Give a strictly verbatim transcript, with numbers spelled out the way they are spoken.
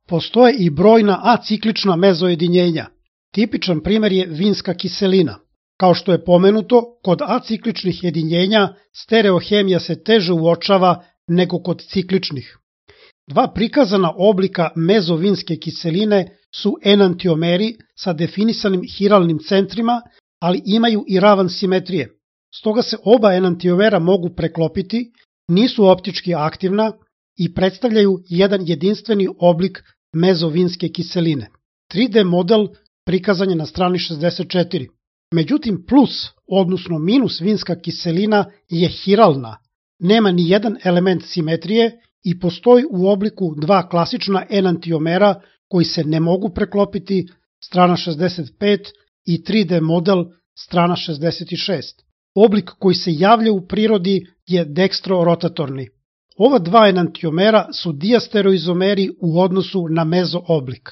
Postoje i brojna aciklična mezojedinjenja. Tipičan primjer je vinska kiselina. Kao što je pomenuto, kod acikličnih jedinjenja stereohemija se teže uočava nego kod cikličnih. Dva prikazana oblika mezovinske kiseline su enantiomeri sa definisanim hiralnim centrima, ali imaju i ravan simetrije. Stoga se oba enantiomera mogu preklopiti, nisu optički aktivna i predstavljaju jedan jedinstveni oblik mezovinske kiseline. tri D model prikazan je na strani šezdeset četiri. Međutim, plus, odnosno minus vinska kiselina je hiralna, nema ni jedan element simetrije i postoji u obliku dva klasična enantiomera koji se ne mogu preklopiti, strana šezdeset pet, i tri D model, strana šezdeset šest. Oblik koji se javlja u prirodi je dekstrorotatorni. Ova dva enantiomera su diastereoizomeri u odnosu na mezo oblik.